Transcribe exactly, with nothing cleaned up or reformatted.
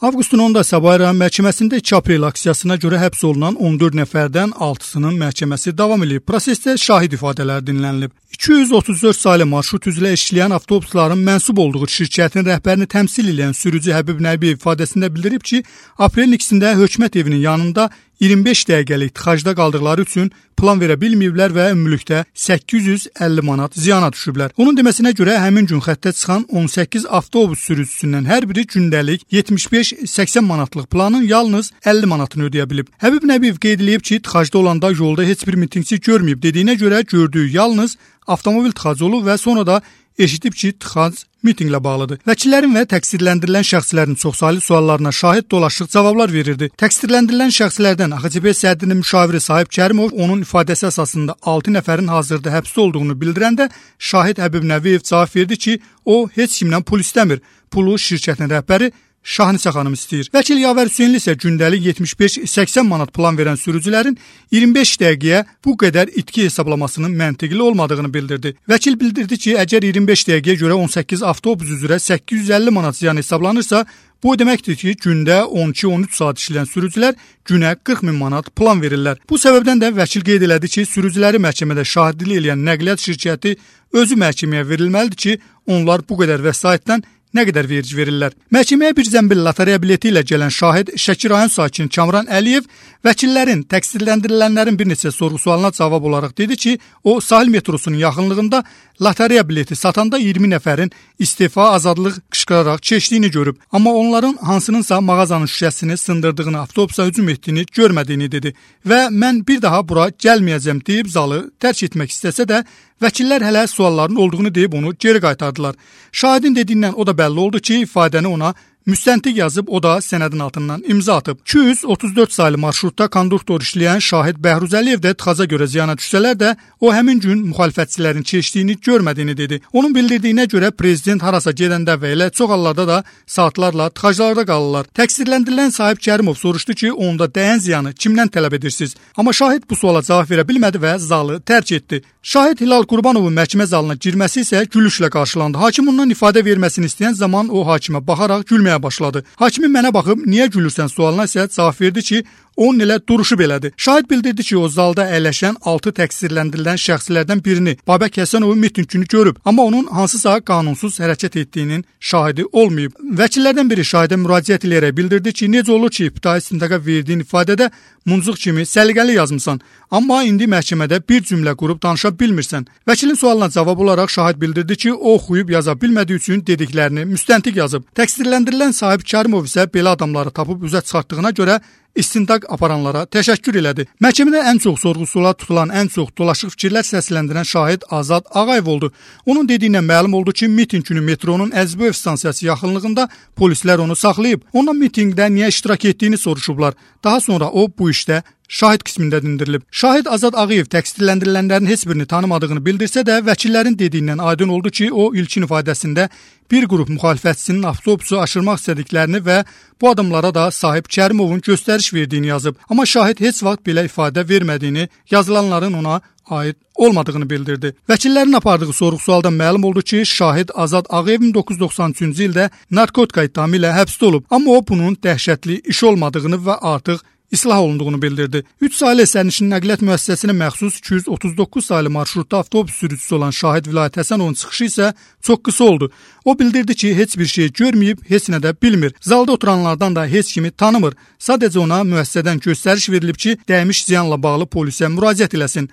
Avqustun onunda Sabah rayon məhkəməsində iki aprel aksiyasına görə həbs olunan on dörd nəfərdən altısının məhkəməsi davam edib. Prosesdə şahid ifadələr dinlənilib. iki yüz otuz dörd saylı marşrut üzrə işləyən avtobusların mənsub olduğu şirkətin rəhbərini təmsil edən sürücü Həbib Nəbiyev ifadəsində bildirib ki, aprelin ikisində hökumət evinin yanında iyirmi beş dəqiqəlik tıxacda qaldıqları üçün plan verə bilməyiblər və ümumilikdə səkkiz yüz əlli manat ziyana düşüblər. Onun deməsinə görə həmin gün xəttə çıxan on səkkiz avtobus sürücüsündən hər biri gündəlik yetmiş beş səksən manatlıq planın yalnız əlli manatını ödəyə bilib. Həbib Nəbiyev qeyd edib ki, tıxacda olanda yolda heç bir mitinqçi görməyib dediyinə görə gördüyü yalnız avtomobil tıxacı olub və sonra da eşidib ki, tıxac mitinqlə bağlıdır. Vəkillərin və təqsirləndirilən şəxslərin çoxsaylı suallarına şahid dolaşıq cavablar verirdi. Təqsirləndirilən şəxslərdən A X C B sədrinin müşaviri Sahib Kərimov onun ifadəsi əsasında altı nəfərin hazırda həbsdə olduğunu bildirəndə şahid Həbib Nəbiyev cavab verdi ki, o heç kimdən pul istəmir. Pulu şirkətin rəhbəri Şahnisə xanım istəyir. Vəkil Yavər Hüseynli isə gündəlik yetmiş beş səksən manat plan verən sürücülərin iyirmi beş dəqiqəyə bu qədər itki hesablamasının məntiqli olmadığını bildirdi. Vəkil bildirdi ki, əgər iyirmi beş dəqiqəyə görə on səkkiz avtobus üzrə səkkiz yüz əlli manat ziyan hesablanırsa, bu deməkdir ki, gündə on iki on üç saat işləyən sürücülər günə qırx min manat plan verirlər. Bu səbəbdən də vəkil qeyd elədi ki, sürücüləri məhkəmədə şahidlik edən nəqliyyat şirkəti özü məhkəməyə verilməlidir ki, onlar bu qədər vəsaitdən nə qədər vergi verirlər. Məhkəməyə bir zəmbil lotereya bileti ilə gələn şahid Şəki rayon sakini Kamran Əliyev vəkillərin, təqsirləndirilənlərin bir neçə sorğu-sualına cavab olaraq dedi ki, o sahil metrosunun yaxınlığında lotereya bileti satanda iyirmi nəfərin istefa azadlıq qışqıraraq keçdiyini görüb. Amma onların hansınınsa mağazanın şüşəsini sındırdığını, avtobusa hücum etdiyini görmədiyini dedi. Və mən bir daha bura gəlməyəcəm deyib zalı tərk etmək istəsə də vəkillər hələ sualların olduğunu deyib onu geri qaytardılar. Şahidin dediyindən o da bəlli oldu ki, ifadəni ona müstəntiq yazıb, o da sənədin altından imza atıb. iki yüz otuz dörd saylı marşrutda konduktor işləyən şahid Bəhruz Əliyev də tıxaca görə ziyana düşsələr də, o həmin gün müxalifətçilərin keçdiyini görmədiyini dedi. Onun bildirdiyinə görə prezident harasa gedəndə və elə çox hallarda da saatlarla tıxaclarda qalırlar. Təqsirləndirilən Sahib Kərimov soruşdu ki, onda dəyən ziyanı kimdən tələb edirsiniz? Amma şahid bu suala cavab verə bilmədi və zalı tərk etdi. Şahid Hilal Qurbanovun məhkəmə zalına girməsi isə gülüşlə qarşılandı. Hakim ondan ifadə verməsini istəyən zaman o hakimə baxaraq gülməyə başladı. Hakimin mənə baxıb niyə gülürsən sualına isə cavab verdi ki, onun elə duruşu belədir. Şahid bildirdi ki, o zalda əyləşən altı təqsirləndirilən şəxslərdən birini, Babək Həsənovun mitinqini görüb, amma onun hansısa qanunsuz hərəkət etdiyinin şahidi olmayıb. Vəkillərdən biri şahidə müraciət edərək bildirdi ki, necə olur ki, ibtidai istintaqa verdiyin ifadədə muncuq kimi səliqəli yazmısan, amma indi məhkəmədə bir cümlə qurub danışa bilmirsən. Vəkilin sualına cavab olaraq şahid bildirdi ki, o oxuyub yaza bilmədiyi üçün dediklərini müstəntiq yazıb. Təqsirləndirilən Sahib Kərimov isə belə adamları tapıb üzə çıxartdığına görə istintaq aparanlara təşəkkür elədi. Məhkəmədə ən çox sorğu-suala tutulan, ən çox dolaşıq fikirlər səsləndirən şahid Azad Ağayev oldu. Onun dediyindən məlum oldu ki, mitinq günü metronun Əzbəyev stansiyası yaxınlığında polislər onu saxlayıb. Ondan mitinqdə niyə iştirak etdiyini soruşublar. Daha sonra o bu işdə şahid qismində dindirilib. Şahid Azad Ağayev təqsirləndirilənlərin heç birini tanımadığını bildirsə də, vəkillərin dediyindən aydın oldu ki, o ilkin ifadəsində bir qrup müxalifətçinin avtobusu aşırmaq istədiklərini və bu adamlara da Sahib Kərimovun göstəriş verdiyini yazıb. Amma şahid heç vaxt belə ifadə vermədiyini, yazılanların ona aid olmadığını bildirdi. Vəkillərin apardığı sorğu-sualdan məlum oldu ki, şahid Azad Ağayev min doqquz yüz doxsan üçüncü ildə narkotika ittihamı ilə həbsdə olub. Amma o bunun dəhşətli iş olmadığını və artıq islah olunduğunu bildirdi. üç saylı sərnişin nəqliyyat müəssisəsinə məxsus iki yüz otuz doqquz saylı marşrutda avtobus sürücüsü olan şahid Vilayət Həsənovun çıxışı isə çox qısa oldu. O bildirdi ki, heç bir şey görməyib, heç nə də bilmir. Zalda oturanlardan da heç kimi tanımır. Sadəcə ona müəssisədən göstəriş verilib ki, dəymiş ziyanla bağlı polisə müraciət eləsin.